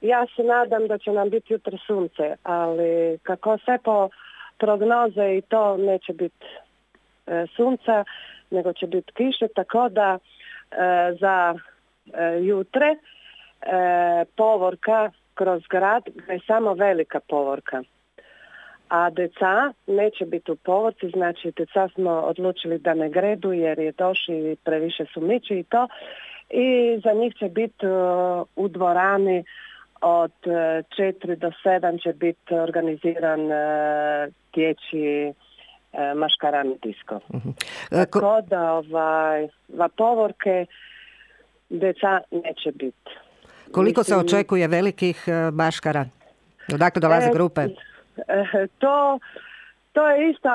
ja se nadam da će nam biti jutro sunce, ali kako sve po prognoze i to neće biti sunca, nego će biti kiše, tako da za jutre povorka kroz grad je samo velika povorka. A deca neće biti u povorci, znači deca smo odlučili da ne gredu jer je došli previše su mići i to. I za njih će biti u dvorani od 4 do 7 će biti organiziran dječji maškarani disko. Tako da povorke deca neće biti. Koliko se očekuje velikih maškara? Odakle dolaze grupe? To je isto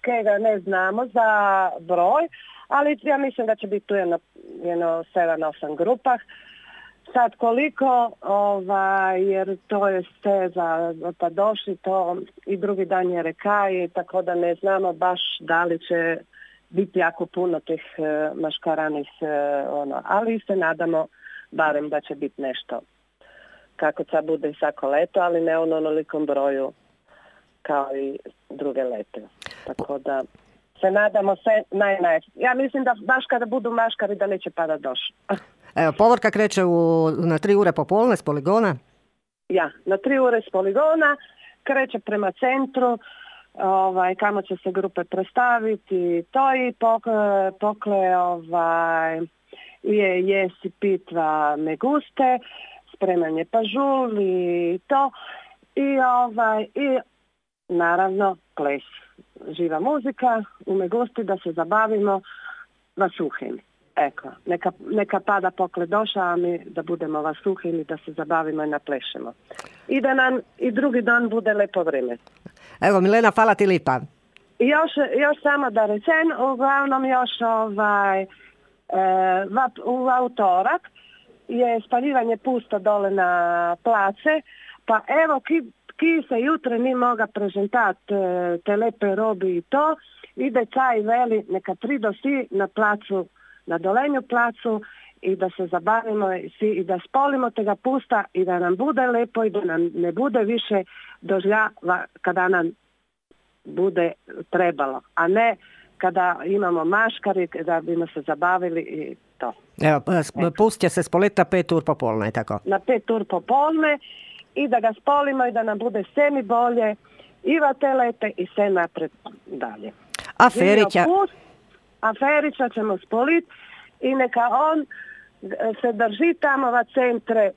kega ne znamo za broj, ali ja mislim da će biti tu jedno 7-8 grupah. Sad koliko, jer to je steza pa došli to i drugi dan je rekaj, tako da ne znamo baš da li će biti jako puno tih maškaranih, ali se nadamo barem da će biti nešto. Kako sad bude i svako leto, ali ne u onolikom broju kao i druge lete. Tako da se nadamo sve Ja mislim da baš kada budu maškari da neće pada doš. Evo, povorka kreće na 3 ure popolne s poligona? Ja, na 3 ure s poligona, kreće prema centru, kamo će se grupe predstaviti, to i pokle jesi pitva meguste, spremanje pažul i to i naravno ples, živa muzika u megusti da se zabavimo vasuhim. Eko, neka pada pokle doša, a mi da budemo vasuhim i da se zabavimo i naplešemo. I da nam i drugi dan bude lepo vrijeme. Evo, Milena, hvala ti lipa. Još samo da rečem, uglavnom još u utorak je spaljivanje pusta dole na place, pa evo ki se jutre ni moga prezentati te lepe robi i to, ide caj veli neka prido svi na placu, na dolenju placu i da se zabavimo i da spolimo tega pusta i da nam bude lepo i da nam ne bude više dožljava kada nam bude trebalo, a ne kada imamo maškari da bimo se zabavili i to. Evo, pust će se spoliti na 5 ur popolne, tako? Na 5 ur popolne i da ga spolimo i da nam bude sve mi bolje i va te lete i sve napred dalje. A Ferića ćemo spoliti i neka on se drži tamo va centre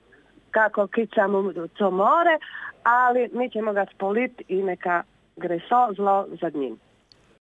kako kicamo co more, ali mi ćemo ga spoliti i neka gre so zlo za njim.